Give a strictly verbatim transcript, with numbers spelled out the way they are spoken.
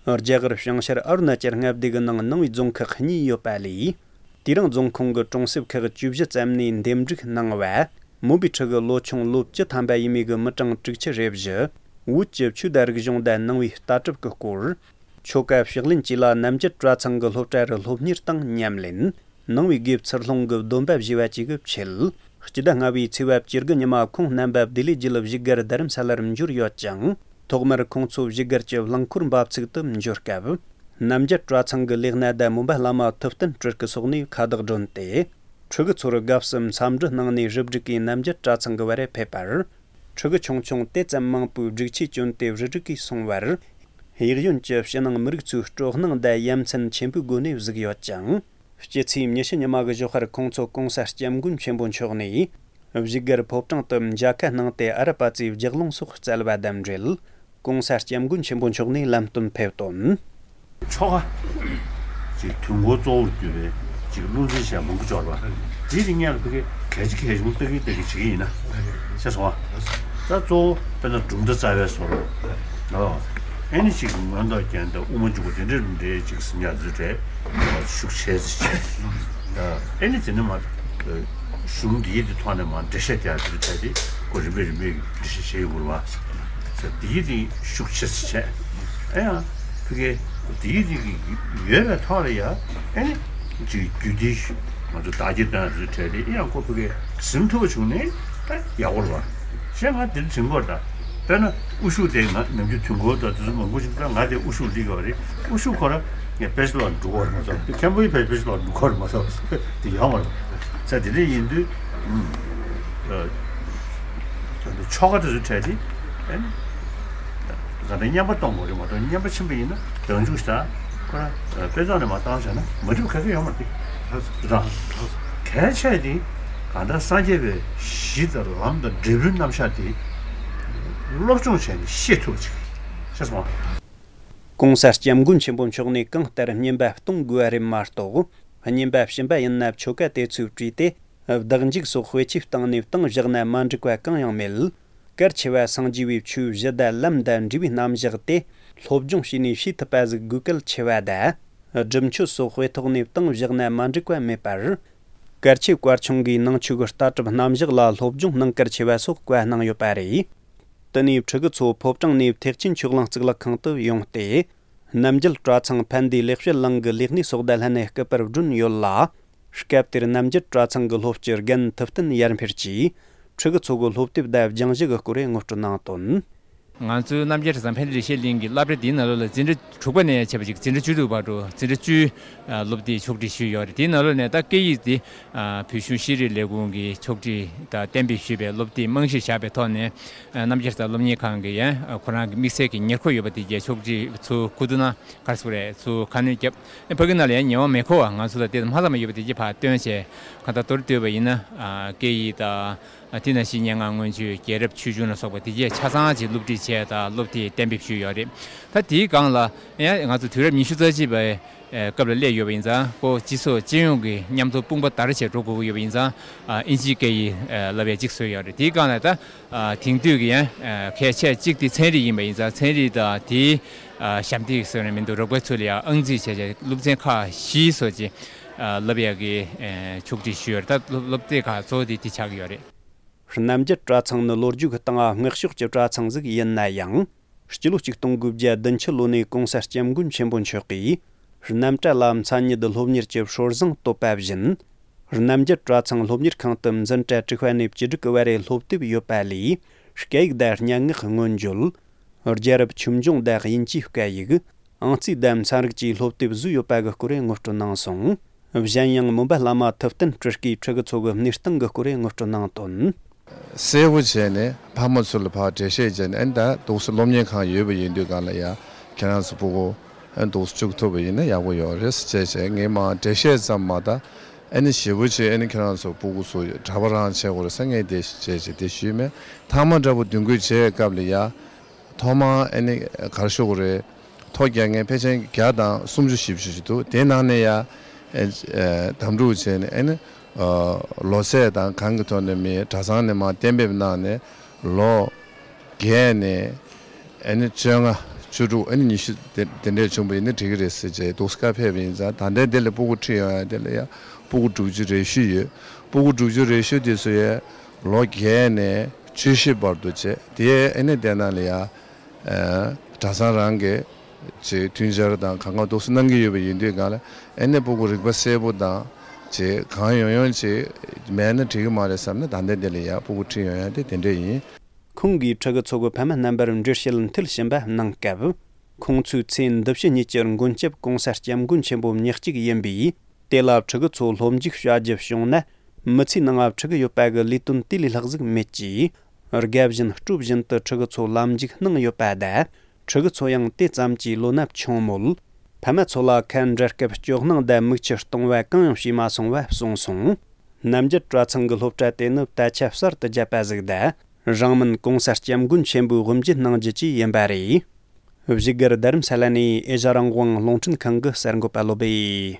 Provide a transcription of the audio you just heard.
རྒྱ་གར་བྱང་ཤར་ཨ་རུ་ན་ཅལ་མངའ་སྡེ་གི་ནང་ནང་པའི་རྫོང་ཁག་གཉིས་ཡོད་པ་ལས། དེ་རིང་རྫོང་ཁོངས་ཀྱི་གྲོང་གསེབ་ཁག་བཅུ་བཞི་ཙམ་ནས་འདེམས་སྒྲུག་གནང་བ། མོན་པའི་ཁྲི་གི་ལོ་ཆུང་ལོ་བཅུ་ཐམ་པ་ཡས་མས་ཀྱི་མི་གྲངས་དྲུག་ཅུ་རེ་བཞི། བོད་ཀྱི་ཆོས་དང་རིག་གཞུང་དང་ནང་པའི་ལྟ་གྲུབ་ཀྱི་སྐོར། ཆོ་ག་ཕྱག་ལེན་བཅས་ལ་རྣམ་རྒྱལ་གྲྭ་ཚང་གི་སློབ་གྲྭ་རུ་སློབ་གཉེར་དང་ཉམས་ལེན། ནང་པའི་དགེ་ཚུལ་སློང་གི་སྡོམ་པ་བཞེས་པ་བཅས་ཀྱི་ཆེད། སྤྱི་ཟླ་ལྔ་པའི་ཚེས་པ་བཅུ་དགུ་ཉི་མ་ཁོང་རྣམ་པ་བདེ་ལེགས་དགེ་ལུགས་བཞུགས་སྒར་རྡ་རམ་ས་ལར་འབྱོར་ཡོད་ཅིང་། ཐོག་མར་ཁོང་ཚོ་བཞུགས་སྒར་གྱི་རླངས་འཁོར་འབབ་ཚུགས་དུ་འབྱོར་སྐབས། རྣམ་རྒྱལ་གྲྭ་ཚང་གི་ལས་སྣེ་དང་མོན་པ་བླ་མ་ཐུབ་བསྟན་སྤྲུལ་སྐུ་སོགས་ནས་ཁ་བརྡ་བསྒྲོན་ཏེ། ཕྲུ་གུ་ཚོར་དགའ་བསུ་འཚམས་འདྲི་གནང་ནས་རུ་སྒྲིག་གིས་རྣམ་རྒྱལ་གྲྭ་ཚང་གི་བར་ཕེབས་པར། ཕྲུ་གུ་ཆུང་ཆུང་དེ་ཙམ་མང་པོས་སྒྲིག་ཆས་གྱོན་ཏེ་རུ་སྒྲིག་གིས་སོང་བར། གཡས་གཡོན་གྱི་ཕྱི་ནང་མི་རིགས་ཚོའི་སྤྲོ་སྣང་དང་ཡ་མཚན་ཆེན་པོའི་སྒོ་ནས་གཟིགས་ཡོད་ཅིང་། སྤྱི་ཚེས་ཉི་ཤུ་ཉི་མ་གི་ཞོགས་པར་ཁོང་ཚོ་གོང་ས་སྐྱབས་མགོན་ཆེན་པོ་མཆོག་ནས། བཞུགས་སྒར་ཕོ་བྲང་དུ་མཇལ་ཁ་གནང་སྟེ་ཨ་ར་པ་ཙིའི་ལྗགས་ལུང་སོགས་སྩལ་བ་དང་འབྲེལ། གོང་ས་སྐྱབས་མགོན་ཆེན་པོ་མཆོག་ནས་ལམ་སྟོན་ཕེབས་དོན། ཆོ་ག་ཅིག་དུས་འཁོར་གཙོ་བོར་གྱུར་པའི་ཅིག་བློ་འཛིན་བྱས་མང་པོ་འབྱོར་བ་འདི་དེ་སྔོན་ལ་ཕ་གི་གལ་ཆེ་གལ་ཆུང་ལྟ་གི་ལྟ་གི་བྱེད་ཀྱི་ཡིན་ན་ཤེས་སོང་ཨ། ད་གཙོ་བོ་དཔེར་ན་གྲུབ་མཐའ་རྩ་བའི་བཟོ་འདྲ་ཨ་ནི་ཅིག་མངོན་རྟོགས་རྒྱན་དང་དབུ་མ་འཇུག་པ་དེ་འདྲའི་འདྲའི་ཅིག་ཟིན་ཡག་ཚུལ་གྲས་ཤུགས་ཆེ་ཙི་བྱས་ཨ་ནི་དེ་ནི་མ་གཞུང་འདིའི་དེ་ཐོག་ནས་མ་འགྲེལ་བཤད་རྒྱག་ཚུལ་གྲས་དེ་ཁོ་རིམ་པས་རིམ་པས་འགྲེལ་བཤད་བྱེད་ཡོང་དགོས་རེད་བ། འདིའི་དེ་ཤུགས་ཆེ་ཙི་བྱས་ཨ་ཡང་། ཕ་གི་དེའི་རིགས་ཀྱི་ཡོད་པའི་ཐོག་ལ་ཡ་ཨེ་ནི་ཅིག་རྒྱུད་སྡེ་ཞུ་ང་ཚོ་བདག་གིས་བཏོན་ཟེར་བྲལ་ཏེ་ཨེ་ཡང་ཁོ་ཕ་གི་ཟིན་ཐུབ་པ་བྱུང་ནས་ད་ཡག་པོ་རེད་བ། ཞེས་ང་འདིར་དྲན་གྱི་ཡོད་རེད། ད་དཔེར་ན་དབུ་བཞུགས་དེ་ང་ནམ་རྒྱུན་དུས་འཁོར་དང་དེ་ཚོ་མང་པོ་ཞིག་ད་ང་དེ་དབུ་བཞུགས་སླེབས་ཀྱི་ཡོད་རེད། དབུ་བཞུགས་ཁོ་རང་ངས་དཔེ་ཆ་ལ་འགྲོ་གི་ཡོད་རེད་མ་གཏོགས་མཁན་པོའི་དཔེ་དཔེ་ཆ་ལ་འགྲོ་གི་ཡོད་རེད་མ་གཏོགས་དེ་ཡོད་མ་རེད། ས་དེ་འདྲ་ཡིན་དུས་ཨུམ། ཆོ་ག་དེ་ཚོ་འཕྲད་དེ་ཨེ་ནི། ག་འདྲ་བསྙེན་པ་གཏོང་དགོས་རེད་མ་གཏོགས་བསྙེན་པ་ཆེན་པོ་ཡིན་ན་བྱང་ཆུབ་ཤིག་དང་ཁོ་རང་དཔེ་ཚོགས་ནས་མ་བཏང་བྱས་ན་མ་འགྲིག་པ་ག་གེ་ཡོད་མ་རེད། རེད་དང་། གལ་ཆེ་དེ་ག་འདྲ་སངས་རྒྱས་པའི་གཞི་དང་ལམ་དང་འབྲས་བུའི་རྣམ་གཞག་དེ་སློབ་སྦྱོང་བྱས་ནས་ཤེས་ཐུབ་ཅིག་ཤེས་སོང་ང་། གོང་ས་སྐྱབས་མགོན་ཆེན་པོ་མཆོག་ནས་གང་ལྟར་བསྙེན་པ་གཏོང་དགོས་པ་རེད་མ་གཏོགས། བསྙེན་པ་བྱིན་པ་ཡིན་ན་ཆོ་ག་དེ་ཚོས་བྲིས་ཏེ། བདག་འཇུག་སོགས་དཔེ་ཆའི་སྟེང་ནས་བཏང་བཞག་ན་མ་འགྲིག་པ་གང་ཡང་མེད། གལ་ཆེ་བ་སངས་རྒྱས་པའི་ཆོས་གཞི་དང་ལམ་དང་འབྲས་བུའི་རྣམ་གཞག་དེ་སློབ་སྦྱོང་བྱས་ནས་ཤེས་ཐུབ་པ་ཟིག་དགོས་གལ་ཆེ་བ་དང་། སྒྲུབ་མཆོད་སོགས་དཔེ་ཐོག་ནས་བཏང་བཞག་ན་མ་འགྲིག་པ་མེད་པར། གལ་ཆེ་བཀའ་ཆུང་གིས་ནང་ཆོས་ཀྱི་ལྟ་གྲུབ་རྣམ་གཞག་ལ་སློབ་སྦྱོང་གནང་གལ་ཆེ་བ་སོགས་བཀའ་གནང་ཡོད་པ་རེད། དེ་ནས་ཕྲུ་གུ་ཚོ་ཕོ་བྲང་ནས་ཐེག་ཆེན་ཆོས་གླིང་གཙུག་ལག་ཁང་དུ་ཡོང་སྟེ། རྣམ་རྒྱལ་གྲྭ་ཚང་ཕན་བདེ་ལེགས་བཤད་གླིང་གི་ལས་སྣེ་སོགས་དང་ལྷན་ནས་སྐུ་པར་བསྒྲོན་ཡོད་ལ། སྐབས་དེར་རྣམ་རྒྱལ་གྲྭ་ཚང་གི་སློབ་སྤྱི་རྒན་ཐུབ་བསྟན་ཡར་འཕེལ་གྱིས་ཕྲུ་གུ་ཚོ་གི་སློབ་དེབ་དང་སྦྱང་གཞི་གི་སྐོར་ངོ་སྤྲོད་གནང་དོན། ང་ཚོའི་རྣམ་རྒྱལ་གྲྭ་ཚང་ཕན་བདེ་ལེགས་བཤད་གླིང་གི་སློབ་གྲྭ་འདིའི་ནང་ལོགས་ལ་འཛིན་གྲྭ་དྲུག་པ་ནས་བྱས་པ་ཅིག་འཛིན་གྲྭ་བཅུ་དྲུག་བར་དུ་འཛིན་གྲྭ་བཅུའི་སློབ་དེབ་ཕྱོགས་སྒྲིག་ཞུས་ཡོད་རེད། དེའི་ནང་ལོགས་ནས་ད་སྐད་ཡིག་འདི་བོད་གཞུང་ཤེས་རིག་ལས་ཁུངས་ཀྱིས་ཕྱོགས་སྒྲིག་དང་གཏན་འབེབས་ཞུས་པའི་སློབ་དེབ་རྨང་གཞིར་བཞག་པའི་ཐོག་ནས། རྣམ་རྒྱལ་གྲྭ་ཚང་སློབ་གཉེར་ཁང་གི་ཡང་ཁོ་རང་གི་དམིགས་བསལ་གྱི་ཉེར་མཁོ་ཡོད་པ་དེ་གའི་ཕྱོགས་སྒྲིག་ཚུར་ཁུ་ཏུ་ན་གར་སོང་རེད། ཚུར་ཁ་སྣོན་བརྒྱབ། ཕ་གི་ནང་ལ་ཡང་ཉེ་བ་མེ་འཁོར་བ་ང་ཚོ་ལ་དེ་ལ་མ་ཚང་མ་ཡོད་པ་དེ་གའི་ཕར་བཏོན་བྱས་གང་ལྟར་མདོར་བསྡུས་པ་ཡིན་ན་སྐད་ཡིག་དང་། དེ་ནང་བཞིན་སྙན་ངག་མངོན་བརྗོད། རྒྱལ་རབས་ཆོས་འབྱུང་ལ་སོགས་པ་དེ་གའི་ཆ་ཚང་ཅིག་སློབ་ཁྲིད་བྱས་དང་སློབ་དེབ་གཏན་འབེབས་ཞུས་ཡོད་རེད། ད་དེའི་སྒང་ལ་ཡང་ང་ཚོ་དུས་རབས་ཉི་ཤུ་རྩ་གཅིག་པའི་སྐབས་ལ་སླེབས་ཡོད་པ་ཡིན་ཙང་། ཁོ་སྤྱི་ཚོགས་སྤྱི་ཡོངས་ཀྱི་མཉམ་འཛོམས་དཔུང་པ་དར་བྱས་འགྲོ་དགོས་ཀྱི་ཡོད་པ་ཡིན་ཙང་། ཨིན་ཇིའི་སྐད་ཡིག་བསླབ་ཡས་གཅིག་བཟོས་ཡོད་རེད། དེའི་སྒང་ལ་ད་དེང་དུས་ཀྱི་ཡང་གལ་ཆེ་གཅིག་དེ་ཚན་རིག་ཡིན་པ་ཡིན་ཙང་། ཚན་རིག་དང་དེའི་ཞབས་འདེགས་ཟེར་ནས་མི་འདུག་རོགས་པའི་ཚུལ་ལ་ཡང་ཨང་རྩིས་བྱས་བྱས་སློབ་ཚན་ཁག་བཞི་བཟོ་ཅིག་བསླབ་ཡས་ཀྱི་ཕྱོགས་སྒྲིག་ཞུས་ཡོད་རེད། ད་སློབ་སློབ་དེབ་ཁག་གཙོ་བོ་དེ་དེ་ཆགས་ཀྱི་ཡོད་རེད། རྣམ་རྒྱལ་གྲྭ་ཚང་ནི་ལོ་རྒྱུས་ཀྱི་སྟེང་སྔགས་ཕྱོགས་ཀྱི་གྲྭ་ཚང་ཞིག་ཡིན་ན་ཡང་། སྤྱི་ལོ་གཅིག་སྟོང་དགུ་བརྒྱ་བདུན་ཅུ་ལོ་ནས་གོང་ས་སྐྱབས་མགོན་ཆེན་པོ་མཆོག་གིས་རྣམ་གྲྭ་ལ་མཚན་ཉིད་སློབ་གཉེར་གྱི་སྲོལ་བཟང་བཏོད་པ་བཞིན། རྣམ་རྒྱལ་གྲྭ་ཚང་སློབ་གཉེར་ཁང་དུ་འཛིན་གྲྭ་དྲུག་པ་ནས་བཅུ་དྲུག་གི་བར་རེ་སློབ་དེབ་ཡོད་པ་ལས། སྐད་ཡིག་དང་སྙན་ངག་མངོན་བརྗོད། རྒྱལ་རབས་ཆོས་འབྱུང་དང་དབྱིན་ཇིའི་སྐད་ཡིག། ཨང་རྩིས་དང་ཚན་རིག་བཅས་སློབ་དེབ་བཟོས་ཡོད་པ་གི་སྐོར་ངོ་སྤྲོད་གནང་སོང་། གཞན་ཡང་མོན་པ་བླ་མ་ཐུབ་བསྟན་སྤྲུལ་སྐུའི་ཕྲུ་གུ་ཚོ་གི་གནས་སྟངས་ཀྱི་སྐོར་ངོ་སྤྲོད་གནང་དོན། གསལ་པོ་བྱས་ནས་ཕ་མ་ཚོ་ལ་ཕར་འགྲེལ་བཤད་བྱས་ནས། ཨ་ནི་ད་འདུག་སེ་སློབ་གཉེར་ཁང་ཡོད་པ་ཡིན་དུས་སྒང་ལ་ཡ་ཁྱེད་རང་ཚོ་སྤུ་གུ་ཨ་ནི་འདུག་སེ་བཅུག་ཐུབ་པ་ཡིན་ན་ཡག་པོ་ཡོད་རེད་ཟེར་བྱས་བྱས། ངས་མར་འགྲེལ་བཤད་ཙམ་མ་གཏོགས། ཨ་ནི་ཞེ་པོ་ཅིག་ཨ་ནི་ཁྱེད་རང་ཚོ་སྤུ་གུ་ཚོ་གྲྭ་པ་རང་བྱེད་དགོས་རེད་ཟེར་ངས་དེ་བྱས་བྱས་དེ་ཞུས་མེད། མཐའ་མ་འདྲ་པོ་མདུན་སྐྱོད་བྱེད་སྐབས་ལ་ཡ། ཐོག་མར་ཨ་ནི་ག་རེ་ཞུ་དགོས་རེད། ཐོ་རྒྱག་མཁན་ཕལ་ཆེར་བརྒྱ་དང་སུམ་ཅུ་བཞི་བཅུ་ཞིག་འདུག་དེ་ནང་ནས་ཡ་ཨ་ཨ་དམ་ཕྲུག་བྱས་ནས། ཨ་ནི་ཨ་ལོ་ཚད་དང་གང་གི་ཐོག་ནས་མི་གྲྭ་ཚང་ནས་མར་གཏན་འབེབས་གནང་ནས། ལོ་བརྒྱད་ནས་ཨ་ནི་བཅོ་ལྔ་ བཅུ་དྲུག་ཨ་ནི་ཉི་ཤུ་དེ་དེ་འདྲས་བྱུང་བ་ཡིན་ན་འགྲིག་གི་རེད་ཟེར་བྱས་འདུག་སེ་བཀའ་ཕེབས་པ་ཡིན་ཙང་། ད་ལྟའི་དེ་ལ་སྤུ་གུ་ཁྲིད་ཡོང་ཡ་དེ་ལ་ཡ་སྤུ་གུ་དྲུག་ཅུ་རེ་བཞི་ཡོད། སྤུ་གུ་དྲུག་ཅུ་རེ་བཞི་དེ་ཚོ་ཡ་ལོ་བརྒྱད་ནས་བཅུ་བཞི་བར་དུ་བྱས། དེ་ཨ་ནི་དེ་ནང་ལ་ཡ་ཨ་གྲྭ་ཚང་རང་གི་ཅིག་མཐུན་སྦྱོར་དང་གང་ག་འདུག་སེ་གནང་གི་ཡོད་པ་ཡིན་དུས་སྒང་ལ། ཨ་ནི་སྤུ་གུ་རིག་པ་གསལ་པོ་དང་ཅིག་གང་ཡོང་ཡོང་ཅིག་མེད་ན་འགྲིག་གི་མ་རེད་བསམ་ན། ད་ལྟའི་དེ་ལ་ཡ་སྤུ་གུ་ཁྲིད་ཡོང་ཡ་དེ་དེ་འདྲས་ཡིན། ཁོང་གིས་ཕྲུ་གུ་ཚོ་གི་ཕ་མ་རྣམ་པར་འགྲེལ་བཤད་མཐིལ་ཕྱིན་པ་གནང་སྐབས། ཁོང་ཚོའི་ཚེ་འདི་ཕྱི་གཉིས་ཀྱི་མགོན་སྐྱབས་གོང་ས་སྐྱབས་མགོན་ཆེན་པོ་མྱི་གཅིག་ཡིན་པས། དེ་ལ་ཕྲུ་གུ་ཚོ་སློབ་འཇུག་བྱ་རྒྱུ་བྱུང་ན། མི་ཚེའི་ནང་ང་ཕྲུ་གུ་ཡོད་པ་གི་ལས་དོན་དེ་ལས་ལྷག་ཟིག་མེད་ཅེས། དགའ་བཞིན་སྤྲོ་བཞིན་དུ་ཕྲུ་གུ་ཚོ་ལམ་འཇུག་གནང་ཡོད་པ་དང་། ཕྲུ་གུ་ཚོ་ཡང་དེ་ཙམ་གྱིས་བློ་སྣ་ཆུང་མོད། ཕ་མ་ཚོ་ལ་ཁ་འབྲལ་སྐབས་སྐྱོ་སྣང་དང་མིག་ཆུ་གཏོང་བ་གང་ཡང་བྱས་མ་སོང་བ་གསུངས་སོང་། རྣམ་རྒྱལ་གྲྭ་ཚང་གི་སློབ་གྲྭ་དེ་ནི་ད་ཆ་གསར་དུ་བརྒྱབ་པ་ཟིག་དང་། རང་མིན་གོང་ས་སྐྱབས་མགོན་ཆེན་པོས་དབུ་འབྱེད་གནང་རྒྱུ་བཅས་ཡིན་པ་རེད། བཞུགས་སྒར་རྡ་རམ་ས་ལ་ནས་ཨེ་ཤ་རང་དབང་རླུང་འཕྲིན་ཁང་གི་གསར་འགོད་པ་བློ་སྦེ།